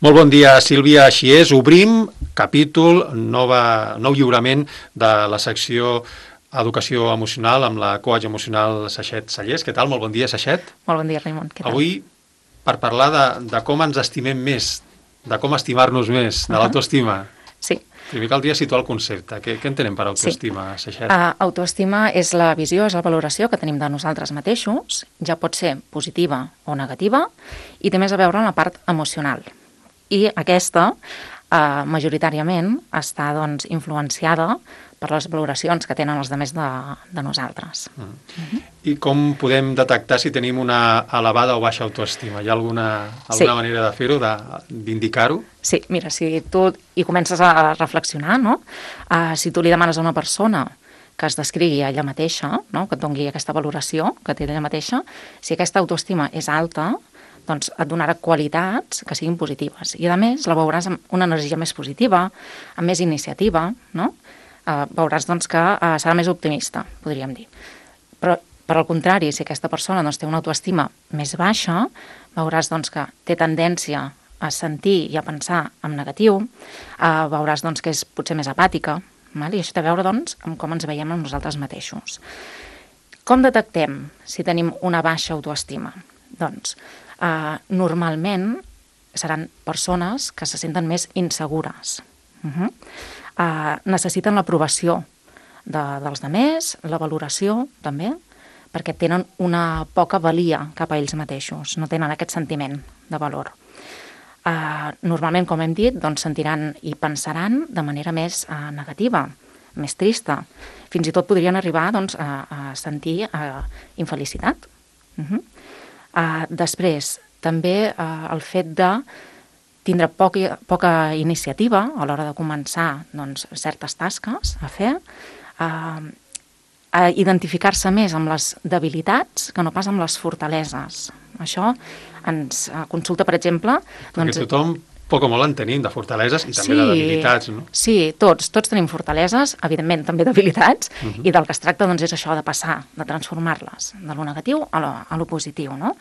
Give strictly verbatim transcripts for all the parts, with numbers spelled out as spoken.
Molt bon dia, Sílvia. Així és, obrim capítol, nova, nou lliurament de la secció Educació Emocional amb la coach emocional Saixet Sallés. Què tal? Molt bon dia, Saixet. Molt bon dia, Raimon. Què tal? Avui, per parlar de, de com ens estimem més, de com estimar-nos més, de uh -huh. l'autoestima. Sí. Primer caldria situar el concepte. Què, què entenem per autoestima, sí. Saixet? Uh, autoestima és la visió, és la valoració que tenim de nosaltres mateixos, ja pot ser positiva o negativa, i té més a veure amb la part emocional. I aquesta, uh, majoritàriament, està doncs, influenciada per les valoracions que tenen els altres de, de nosaltres. Mm. Uh-huh. I com podem detectar si tenim una elevada o baixa autoestima? Hi ha alguna, alguna sí. manera de fer-ho, d'indicar-ho? Sí, mira, si tu hi comences a reflexionar, no? Uh, si tu li demanes a una persona que es descrigui a ella mateixa, no? Que et doni aquesta valoració que té ella mateixa, si aquesta autoestima és alta, doncs et donarà qualitats que siguin positives. I, a més, la veuràs amb una energia més positiva, amb més iniciativa, no? Uh, veuràs doncs, que uh, serà més optimista, podríem dir. Però, per al contrari, si aquesta persona doncs, té una autoestima més baixa, veuràs doncs, que té tendència a sentir i a pensar en negatiu, uh, veuràs doncs, que és potser més apàtica, val? I això té a veure doncs, amb com ens veiem amb nosaltres mateixos. Com detectem si tenim una baixa autoestima? Doncs, uh, normalment seran persones que se senten més insegures. Uh-huh. Uh, necessiten l'aprovació de, dels demés, la valoració també, perquè tenen una poca valia cap a ells mateixos, no tenen aquest sentiment de valor. Uh, normalment, com hem dit, doncs, sentiran i pensaran de manera més uh, negativa, més trista. Fins i tot podrien arribar doncs, a, a sentir uh, infelicitat. Uh -huh. uh, després, també uh, el fet de tindre poca, poca iniciativa a l'hora de començar doncs, certes tasques a fer, eh, a identificar-se més amb les debilitats que no pas amb les fortaleses. Això ens consulta, per exemple... Perquè doncs, tothom, poc o molt, en tenim de fortaleses i també sí, de debilitats, no? Sí, tots, tots tenim fortaleses, evidentment també debilitats, uh -huh. i del que es tracta doncs, és això de passar, de transformar-les, de lo negatiu a lo, a lo positiu, no?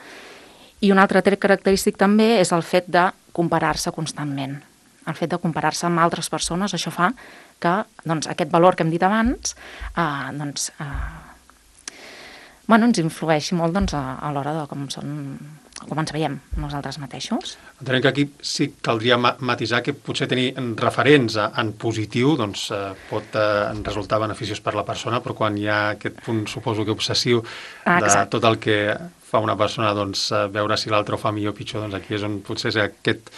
I un altre tret característic també és el fet de comparar-se constantment. El fet de comparar-se amb altres persones, això fa que doncs, aquest valor que hem dit abans eh, doncs, eh, bueno, ens influeixi molt doncs, a, a l'hora de com, són, com ens veiem nosaltres mateixos. Entenem que aquí sí caldria matisar que potser tenir referents en positiu doncs, eh, pot eh, resultar beneficiós per la persona, però quan hi ha aquest punt, suposo que obsessiu, ah, de tot el que fa una persona, doncs, veure si l'altre ho fa millor o pitjor, doncs aquí és on potser és aquest,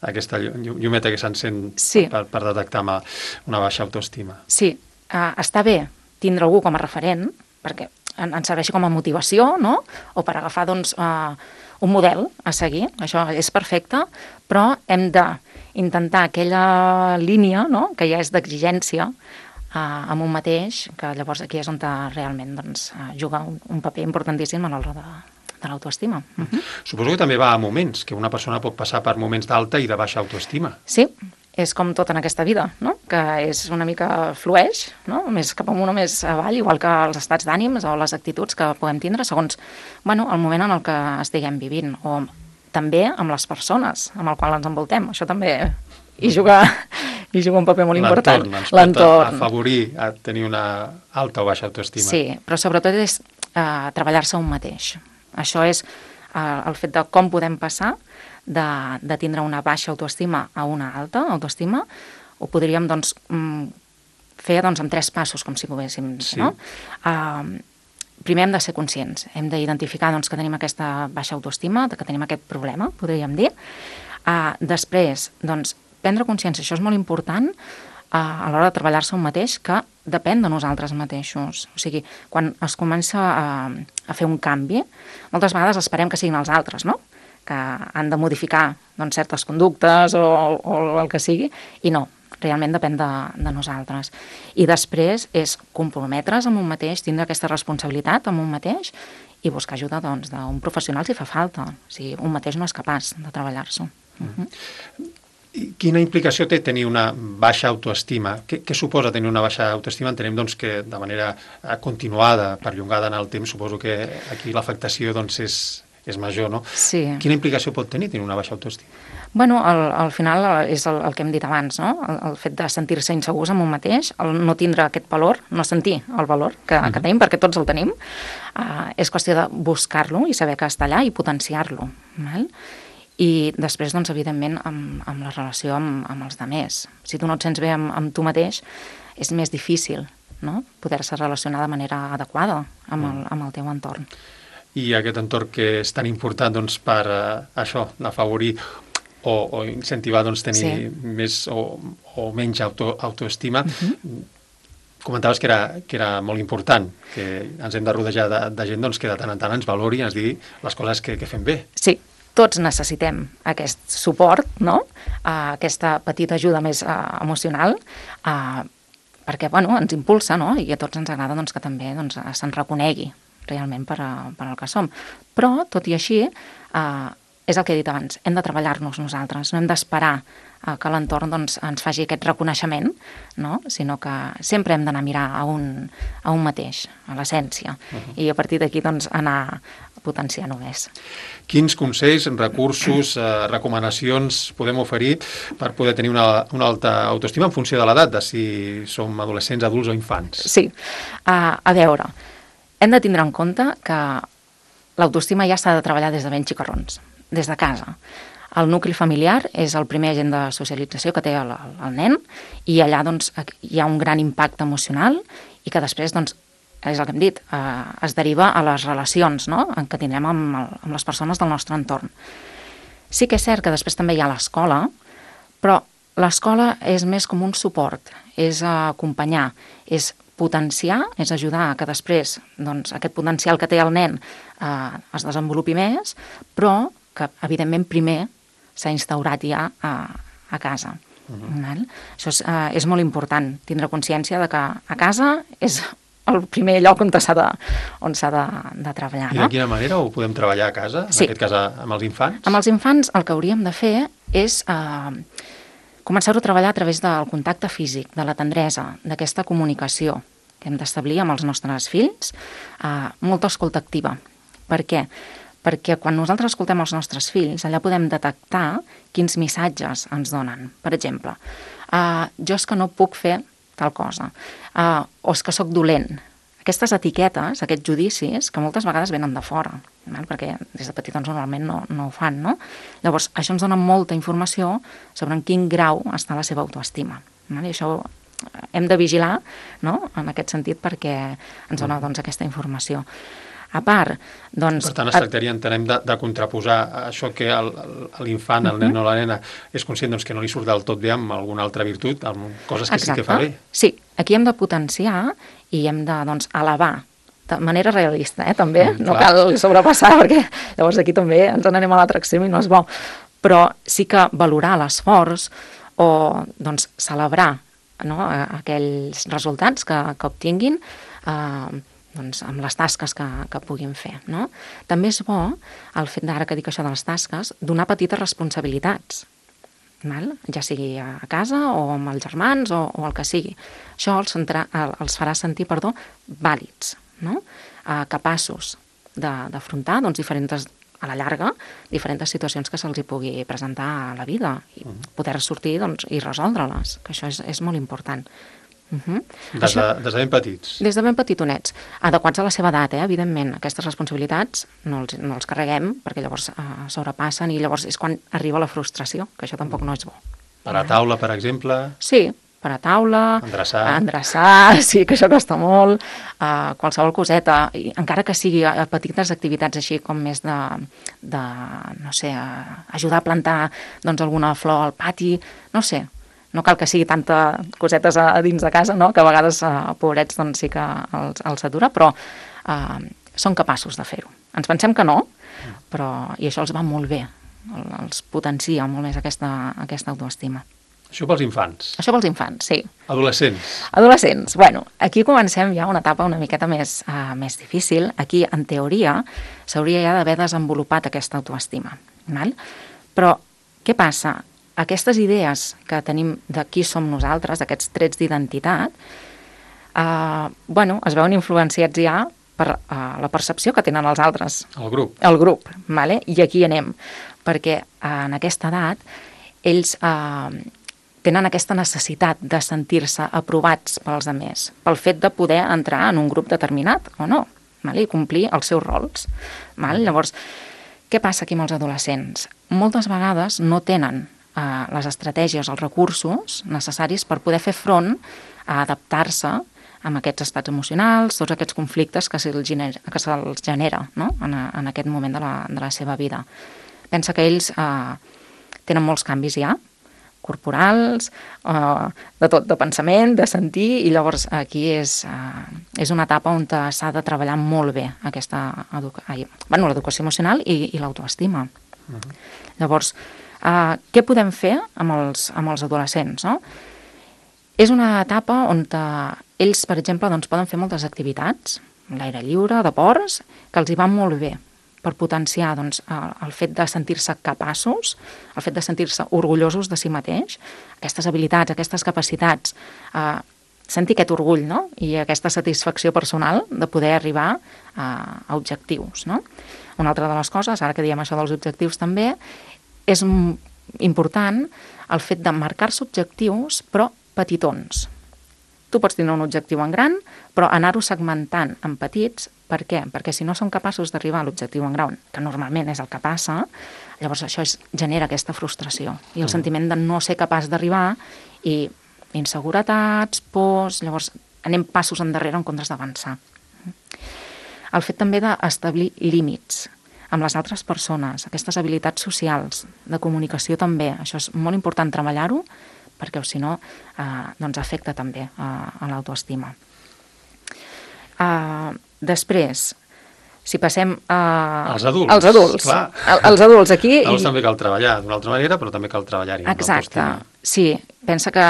aquesta llumeta que s'encén sí. per, per detectar una baixa autoestima. Sí, uh, està bé tindre algú com a referent, perquè ens serveixi com a motivació, no? O per agafar, doncs, uh, un model a seguir, això és perfecte, però hem d'intentar aquella línia, no?, que ja és d'exigència uh, amb un mateix, que llavors aquí és on realment doncs, uh, juga un, un paper importantíssim a l'hora de, de l'autoestima. Uh-huh. Suposo que també va a moments, que una persona pot passar per moments d'alta i de baixa autoestima. Sí, és com tot en aquesta vida, no?, que és una mica flueix, no?, més cap amunt o més avall, igual que els estats d'ànims o les actituds que podem tindre segons, bueno, el moment en el que estiguem vivint, o també amb les persones amb el qual ens envoltem. Això també hi juga, hi juga un paper molt important. L'entorn ens pot afavorir a tenir una alta o baixa autoestima. Sí, però sobretot és uh, treballar-se un mateix. Això és uh, el fet de com podem passar de, de tindre una baixa autoestima a una alta autoestima. Ho podríem doncs, fer doncs, en tres passos, com si poguéssim. Sí. No? Uh, primer hem de ser conscients, hem d'identificar doncs, que tenim aquesta baixa autoestima, que tenim aquest problema, podríem dir. Uh, després, doncs, prendre consciència, això és molt important, uh, a l'hora de treballar-se un mateix, que depèn de nosaltres mateixos. O sigui, quan es comença a, a fer un canvi, moltes vegades esperem que siguin els altres, no?, que han de modificar doncs, certes conductes o, o el que sigui, i no, realment depèn de, de nosaltres. I després és comprometre's amb un mateix, tindre aquesta responsabilitat amb un mateix i buscar ajuda doncs, d'un professional si fa falta. O sigui, un mateix no és capaç de treballar-s'ho. Uh-huh. Quina implicació té tenir una baixa autoestima? Què, què suposa tenir una baixa autoestima? Entenem doncs, que de manera continuada, perllongada en el temps, suposo que aquí l'afectació doncs, és... és major, no? Sí. Quina implicació pot tenir tenir una baixa autoestima? Bueno, al, al final és el, el que hem dit abans, no? El, el fet de sentir-se insegurs amb un mateix, el no tindre aquest valor, no sentir el valor que, uh-huh. que tenim, perquè tots el tenim, uh, és qüestió de buscar-lo i saber que està allà i potenciar-lo. Val? I després, doncs, evidentment, amb, amb la relació amb, amb els altres. Si tu no et sents bé amb, amb tu mateix, és més difícil, no? Poder-se relacionar de manera adequada amb el, amb el teu entorn. I aquest entorn que és tan important doncs, per uh, això, afavorir o, o incentivar doncs, tenir sí. més o, o menys auto, autoestima, uh-huh. comentaves que era, que era molt important, que ens hem de rodejar de, de gent doncs, que de tant en tant ens valori i ens digui les coses que, que fem bé. Sí. Tots necessitem aquest suport, no? Uh, aquesta petita ajuda més uh, emocional, uh, perquè bueno, ens impulsa, no? I a tots ens agrada doncs, que també doncs, se'n reconegui realment per, a, per al que som. Però, tot i així, uh, és el que he dit abans, hem de treballar-nos nosaltres, no hem d'esperar uh, que l'entorn doncs, ens faci aquest reconeixement, no? Sinó que sempre hem d'anar a mirar a un, a un mateix, a l'essència, uh-huh. i a partir d'aquí doncs, anar potenciar només. Quins consells, recursos, eh, recomanacions podem oferir per poder tenir una, una alta autoestima en funció de l'edat, de si som adolescents, adults o infants? Sí. Uh, a veure, hem de tindre en compte que l'autoestima ja s'ha de treballar des de ben xicarrons, des de casa. El nucli familiar és el primer agent de socialització que té el, el nen i allà doncs, hi ha un gran impacte emocional i que després doncs, és el que hem dit, eh, es deriva a les relacions, no?, que tindrem amb, el, amb les persones del nostre entorn. Sí que és cert que després també hi ha l'escola, però l'escola és més com un suport, és acompanyar, és potenciar, és ajudar a que després doncs, aquest potencial que té el nen eh, es desenvolupi més, però que evidentment primer s'ha instaurat ja a, a casa. Uh-huh. Això és, eh, és molt important, tindre consciència de que a casa és el primer lloc on s'ha de, on s'ha de, de treballar. I de no? quina manera ho podem treballar a casa, en sí. aquest cas amb els infants? Amb els infants el que hauríem de fer és eh, començar-ho a treballar a través del contacte físic, de la tendresa, d'aquesta comunicació que hem d'establir amb els nostres fills, eh, molta escolta activa. Per què? Perquè quan nosaltres escoltem els nostres fills, allà podem detectar quins missatges ens donen. Per exemple, eh, jo és que no puc fer tal cosa, uh, o és que sóc dolent. Aquestes etiquetes, aquests judicis, que moltes vegades venen de fora, val? Perquè des de petitons normalment no, no ho fan, no? Llavors, això ens dona molta informació sobre en quin grau està la seva autoestima. Val? I això hem de vigilar, no?, en aquest sentit, perquè ens dona doncs, aquesta informació. A part, doncs... Per tant, es tractaria, entenem, de, de contraposar això que el, l'infant, el nen o la nena, és conscient doncs, que no li surt del tot bé amb alguna altra virtut, amb coses que Exacte. Sí que fa bé. Sí, aquí hem de potenciar i hem de, doncs, elevar de manera realista, eh, també, mm, no cal sobrepassar, perquè llavors aquí també ens n'anem a l'altre extrem i no és bo, però sí que valorar l'esforç o, doncs, celebrar, no?, aquells resultats que, que obtinguin, eh, doncs, amb les tasques que, que puguin fer. No? També és bo, el fet d'ara que dic això de les tasques, donar petites responsabilitats, val? Ja sigui a casa o amb els germans o, o el que sigui. Això els, centra, els farà sentir perdó, vàlids, no? eh, capaços d'afrontar doncs, diferents, a la llarga, diferents situacions que se'ls hi pugui presentar a la vida i poder sortir doncs, i resoldre-les, que això és, és molt important. Uh-huh. Des, de, des de ben petits. Des de ben petitonets. Adequats a la seva edat, eh? Evidentment. Aquestes responsabilitats no els, no els carreguem perquè llavors eh, sobrepassen i llavors és quan arriba la frustració, que això tampoc no és bo. Per a taula, per exemple? Sí, per a taula, endreçar, endreçar sí, que això costa molt, uh, qualsevol coseta, i encara que sigui a petites activitats així com més de, de no sé, uh, ajudar a plantar doncs, alguna flor al pati, no sé, no cal que sigui tanta cosetes a, a dins de casa, no? Que a vegades, uh, pobrets, doncs sí que els, els atura, però uh, són capaços de fer-ho. Ens pensem que no, però i això els va molt bé, els potencia molt més aquesta, aquesta autoestima. Això pels infants. Això pels infants, sí. Adolescents. Adolescents. Bueno, aquí comencem ja una etapa una miqueta més, uh, més difícil. Aquí, en teoria, s'hauria ja d'haver desenvolupat aquesta autoestima. Val? Però què passa? Aquestes idees que tenim de qui som nosaltres, aquests trets d'identitat, eh, bueno, es veuen influenciats ja per eh, la percepció que tenen els altres. El grup. El grup, vale? I aquí anem. perquè en aquesta edat ells eh, tenen aquesta necessitat de sentir-se aprovats pels altres, pel fet de poder entrar en un grup determinat o no, val? I complir els seus rols. Val? Llavors, què passa aquí amb els adolescents? Moltes vegades no tenen eh, les estratègies, els recursos necessaris per poder fer front a adaptar-se amb aquests estats emocionals, tots aquests conflictes que se'ls genera, que se'ls genera no? en, en aquest moment de la, de la seva vida. Pensa que ells eh, tenen molts canvis ja, corporals, eh, de tot, de pensament, de sentir, i llavors aquí és, eh, és una etapa on s'ha de treballar molt bé aquesta educa... Ai, bueno, l'educació emocional i, i l'autoestima. Uh-huh. Llavors, eh, què podem fer amb els, amb els adolescents? No? És una etapa on ells, per exemple, doncs, poden fer moltes activitats, l'aire lliure, deports, que els hi van molt bé per potenciar doncs, el fet de sentir-se capaços, el fet de sentir-se orgullosos de si mateix, aquestes habilitats, aquestes capacitats, eh, sentir aquest orgull, no? I aquesta satisfacció personal de poder arribar a, a objectius. No? Una altra de les coses, ara que diem això dels objectius també, és important el fet de marcar-se objectius, però petitons. Tu pots tenir un objectiu en gran, però anar-ho segmentant en petits. Per què? Perquè si no som capaços d'arribar a l'objectiu en gran, que normalment és el que passa, llavors això és, genera aquesta frustració i el sentiment de no ser capaç d'arribar i inseguretats, pors, llavors anem passos endarrere en comptes d'avançar. El fet també d'establir límits amb les altres persones, aquestes habilitats socials, de comunicació també, això és molt important treballar-ho, perquè si no, eh, doncs afecta també a, a l'autoestima. Uh, després, si passem a... Els adults. Els adults, clar. Els adults aquí... Els també cal treballar d'una altra manera, però també cal treballar-hi. Exacte, sí. Pensa que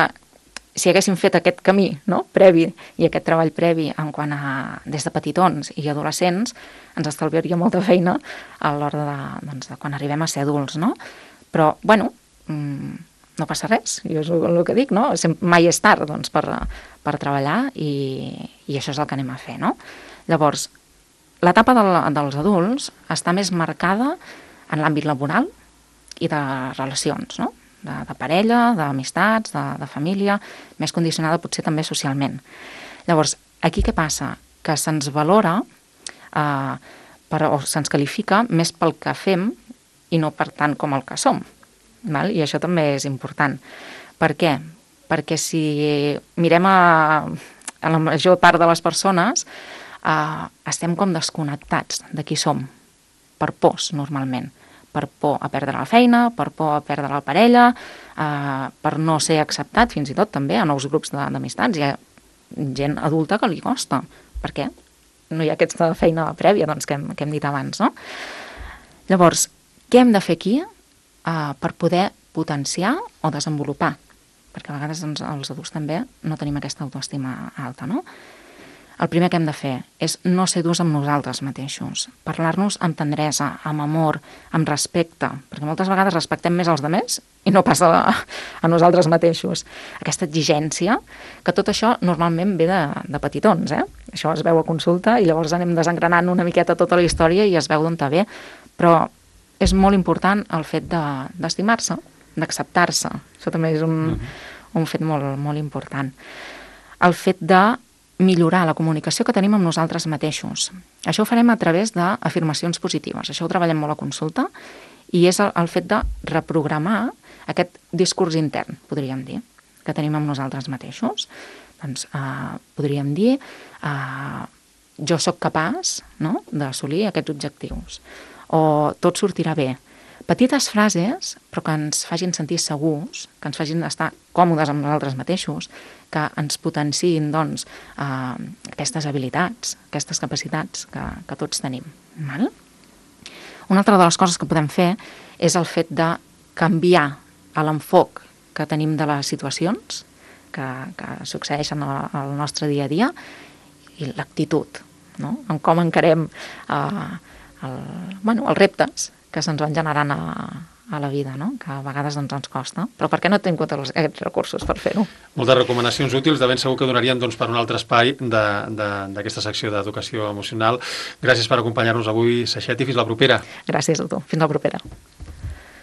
si haguéssim fet aquest camí, no?, previ, i aquest treball previ en quant a des de petitons i adolescents, ens estalviaria molta feina a l'hora de, doncs, de quan arribem a ser adults, no? Però, bueno... Mmm, no passa res, jo és el que dic, no? Mai és tard doncs, per, per treballar i, i això és el que anem a fer, no? Llavors, l'etapa del, dels adults està més marcada en l'àmbit laboral i de relacions, no? De, de parella, d'amistats, de, de família, més condicionada potser també socialment. Llavors, aquí què passa? Que se'ns valora eh, per, o se'ns qualifica més pel que fem i no per tant com el que som. Val? I això també és important. Per què? Perquè si mirem a, a la major part de les persones, eh, estem com desconnectats de qui som, per pors normalment, per por a perdre la feina, per por a perdre la parella, eh, per no ser acceptat fins i tot també a nous grups d'amistats. Hi ha gent adulta que li costa. Per què? No hi ha aquesta feina prèvia doncs, que, hem, que hem dit abans, no? Llavors, què hem de fer aquí? Uh, per poder potenciar o desenvolupar, perquè a vegades doncs, els adults també no tenim aquesta autoestima alta, no? El primer que hem de fer és no ser durs amb nosaltres mateixos, parlar-nos amb tendresa, amb amor, amb respecte, perquè moltes vegades respectem més als altres i no passa a, a nosaltres mateixos. Aquesta exigència, que tot això normalment ve de, de petitons, eh? Això es veu a consulta i llavors anem desengranant una miqueta tota la història i es veu d'on ve, però és molt important el fet de, d'estimar-se, d'acceptar-se. Això també és un, uh-huh. un fet molt, molt important. El fet de millorar la comunicació que tenim amb nosaltres mateixos. Això ho farem a través d'afirmacions positives. Això ho treballem molt a consulta i és el, el fet de reprogramar aquest discurs intern, podríem dir, que tenim amb nosaltres mateixos. Doncs eh, podríem dir eh, jo sóc capaç, no?, d'assolir aquests objectius. O tot sortirà bé. Petites frases, però que ens facin sentir segurs, que ens facin estar còmodes amb nosaltres mateixos, que ens potenciïn, doncs, eh, aquestes habilitats, aquestes capacitats que, que tots tenim. Val? Una altra de les coses que podem fer és el fet de canviar l'enfoc que tenim de les situacions que, que succeeixen al nostre dia a dia i l'actitud, no?, en com encarem eh, El, bueno, els reptes que se'ns van generant a, a la vida, no?, que a vegades doncs, ens costa, però per què no tenim compte aquests recursos per fer-ho? Moltes recomanacions útils, de ben segur que donarien doncs, per un altre espai d'aquesta secció d'educació emocional. Gràcies per acompanyar-nos avui, Saixet, i fins la propera. Gràcies a tu, fins la propera.